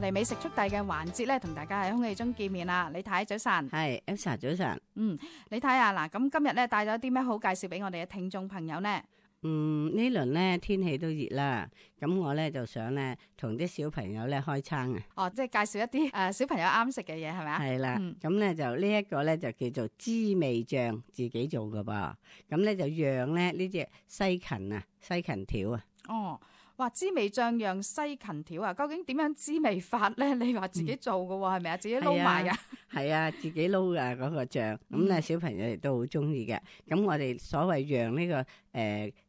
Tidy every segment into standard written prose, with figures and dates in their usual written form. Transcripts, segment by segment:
哋美食速遞嘅環節咧，同大家喺空氣中見面啦。李太早晨，係 Elsa 早晨。李太啊，嗱，咁今日咧帶咗啲咩好介紹俾我哋嘅聽眾朋友呢？呢輪咧天氣都熱啦，咁我咧就想咧同啲小朋友咧開餐啊。哦，即係介紹一啲小朋友啱食嘅嘢，係咪啊？係啦，咁咧就呢一個咧就叫做滋味醬，自己做㗎噃。咁咧就釀咧呢隻西芹條啊。哦。哇！滋味醬釀西芹條啊，究竟點樣滋味法咧？你話自己做嘅喎，係咪啊？自己撈埋㗎？係啊，自己撈㗎嗰個醬。咁咧小朋友亦都好中意嘅。咁我哋所謂釀呢個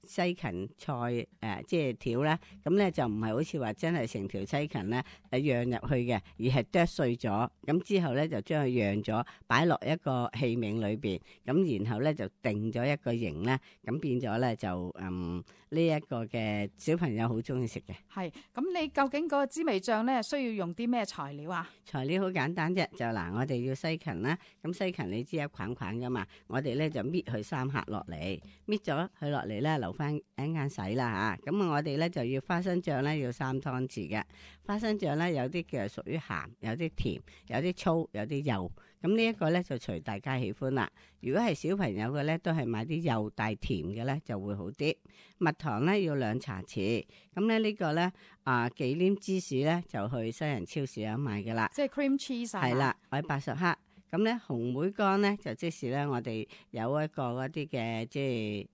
西芹菜即係條咧，咁咧就唔係好似話真係成條西芹咧釀入去嘅，而係剁碎咗。咁之後咧就將佢釀咗，擺落一個器皿裏邊。咁然後咧就定咗一個形咧，咁變咗咧就呢一個嘅小朋友好中意食嘅。係，咁你究竟嗰個滋味醬咧需要用啲咩材料啊？材料好簡單啫，就嗱，我哋要西芹啦。咁西芹你知一捆捆噶嘛，我哋咧就搣佢3克落嚟，搣咗佢落嚟咧留翻一間洗啦吓。咁我哋咧就要花生醬咧要3湯匙嘅。花生醬咧有啲嘅屬於鹹，有啲甜，有啲粗，有啲幼。咁呢一個咧就隨大家喜歡啦。如果係小朋友嘅咧，都係買啲幼帶甜嘅咧就會好啲。蜜糖咧要2茶匙。咁咧呢個咧忌廉芝士咧就去西人超市有賣噶啦。即係 cream cheese 啊。係啦，我80克。咁咧紅莓乾咧就即是咧我哋有一個嗰啲嘅即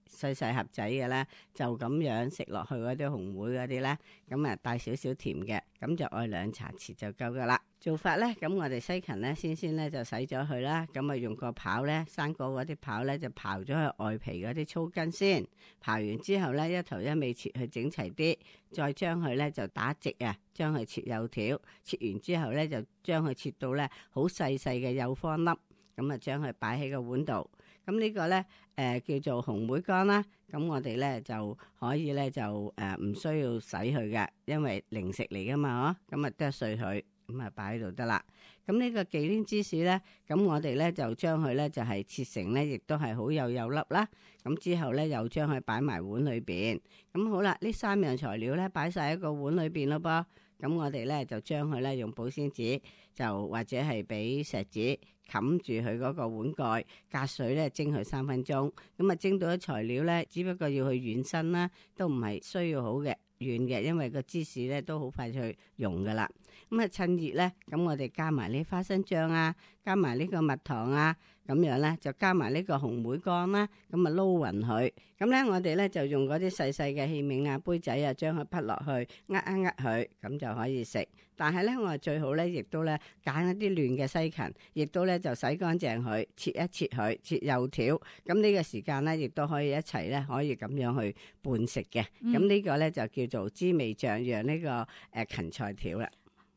係細細盒仔嘅咧，就咁樣食落去嗰啲紅莓嗰啲咧，咁啊帶少少甜嘅，咁就愛2茶匙就夠噶啦。做法咧，咁我哋西芹咧先咧就洗咗佢啦，咁啊用個刨咧生果嗰啲刨咧就刨咗佢外皮嗰啲粗根先，刨完之後咧一頭一尾切去整齊啲，再將佢咧就打直啊，將佢切幼條，切完之後咧就將佢切到咧好細細嘅幼方粒，咁啊將佢擺喺個碗度。咁呢個咧叫做紅莓乾啦，咁我哋咧就可以咧就唔需要洗佢嘅，因為零食嚟噶嘛，咁啊剁碎佢。咁啊擺喺度得啦。咁呢個忌廉芝士咧，咁我哋咧就將佢咧就係切成咧，亦都係好幼粒啦。咁之後咧又將佢擺埋碗裏邊。咁好啦，呢3樣材料咧擺晒喺個碗裏邊咯噃。咁我哋咧就將佢咧用保鮮紙，就或者係俾錫紙冚住佢嗰個碗蓋，隔水咧蒸佢3分鐘。咁啊蒸到啲材料咧，只不過要去軟身啦，都唔係需要好嘅。軟嘅，因為個芝士咧都好快去溶噶啦。咁啊趁熱咧，咁我哋加埋呢花生醬啊，加埋呢個蜜糖啊，咁樣咧就加埋呢個紅莓乾啦，咁啊撈匀佢。咁咧我哋咧就用嗰啲細細嘅器皿啊、杯仔啊，將佢滗落去，佢，咁就可以食。但係咧我哋最好咧，亦都咧揀一啲嫩嘅西芹，亦都咧就洗乾淨佢，切一切佢，切幼條。咁呢個時間咧，亦都可以一齊咧，可以咁樣去拌食嘅。咁呢個咧就叫做滋味醬釀呢個芹菜條啦。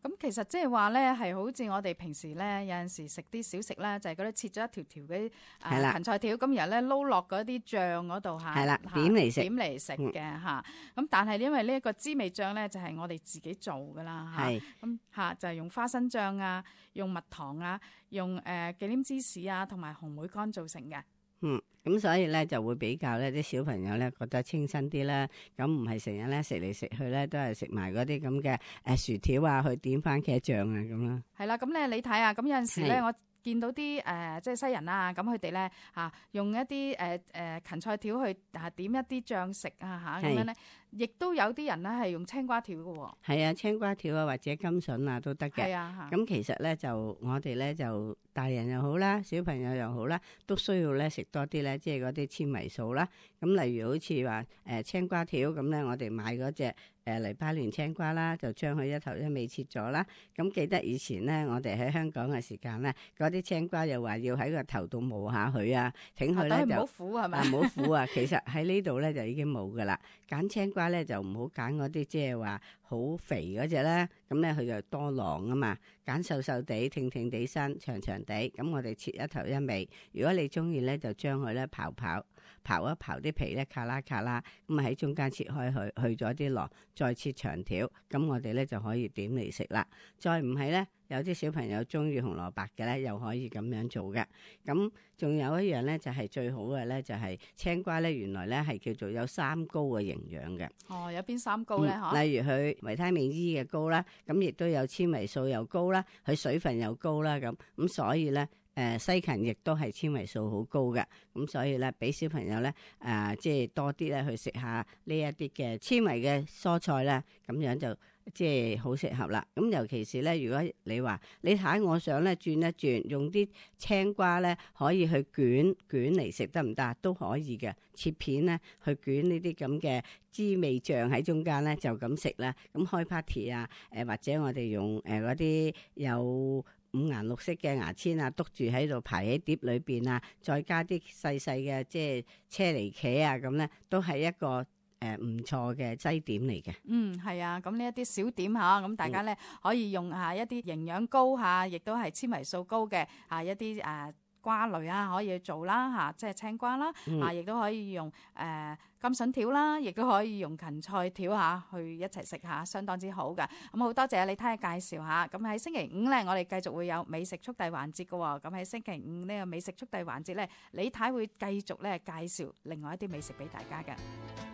咁其實即係話咧，係好似我哋平時咧有陣時食啲小食咧，就係嗰啲切咗一條條嘅芹菜條，咁然後咧撈落嗰啲醬嗰度嚇，係啦，點嚟食嘅嚇。咁但係因為呢一個滋味醬咧，就係我哋自己做噶啦嚇。咁嚇就係用花生醬啊，用蜜糖啊，用忌廉芝士啊，同埋紅莓乾做成嘅。咁所以咧就會比較咧啲小朋友咧覺得清新啲啦，咁唔係成日咧食嚟食去咧都係食埋嗰啲咁嘅薯條啊，去點番茄醬啊咁啦。係啦，咁咧你睇下，咁有陣時咧我見到啲即係西人啊，咁佢哋咧用一啲芹菜條去點一啲醬食啊咁樣咧，亦都有啲人咧係用青瓜條嘅喎。係啊，青瓜條啊或者甘筍啊都得嘅。係啊，咁其實咧就我哋咧就大人又好啦，小朋友又好啦，都需要咧食多啲咧，即係嗰啲纖維素啦。咁例如好似話青瓜條咁咧，我哋買嗰隻黎巴嫩青瓜啦，就將佢一頭一尾切咗啦。咁記得以前咧，我哋喺香港嘅時間咧，嗰啲青瓜又話要喺個頭度磨下佢啊，整佢咧就唔好苦係咪？唔好苦啊！其實喺呢度咧就已經冇噶啦。揀青瓜咧就唔好揀嗰啲即係話好肥嗰隻啦，咁咧佢就多囊啊嘛。揀瘦瘦地、挺地身、長地，咁我哋切一頭一尾。如果你中意咧，就將佢咧刨刨一刨啲皮咧，卡啦卡啦，咁啊喺中間切開去咗啲螺，再切長條，咁我哋咧就可以點嚟食啦。再唔係咧，有啲小朋友中意紅蘿蔔嘅咧，又可以咁樣做嘅。咁仲有一樣咧，就係最好嘅咧，就係青瓜咧，原來咧係叫做有三高嘅營養嘅。哦，有邊三高咧？例如佢維他命 E 嘅高啦，咁亦都有纖維素又高啦，佢水分又高啦，咁所以咧。西芹亦都係纖維素好高嘅，咁所以咧，俾小朋友咧，即係多啲咧去食下呢一啲嘅纖維嘅蔬菜咧，咁樣就即係好適合啦。咁尤其是咧，如果你話你睇我想咧轉一轉，用啲青瓜咧可以去捲嚟食得唔得？都可以嘅，切片咧去捲呢啲咁嘅滋味醬喺中間咧，就咁食啦。咁開 party 啊，或者我哋用嗰啲有五顏六色嘅牙籤啊，篤住喺度排喺碟裏邊啊，再加啲細細嘅即係車厘茄啊，咁咧都係一個唔錯嘅劑點嚟嘅。係啊，咁呢一啲小點嚇，咁大家咧可以用下一啲營養高嚇，亦都係纖維素高嘅一啲瓜類啊，可以去做啦嚇，即係青瓜啦，亦都可以用甘筍條啦，亦都可以用芹菜條嚇去一齊食下，相當之好㗎。咁好多謝李太嘅介紹下。咁喺星期五咧，我哋繼續會有美食速遞環節嘅喎。咁喺星期五呢個美食速遞環節咧，李太會繼續咧介紹另外一啲美食俾大家嘅。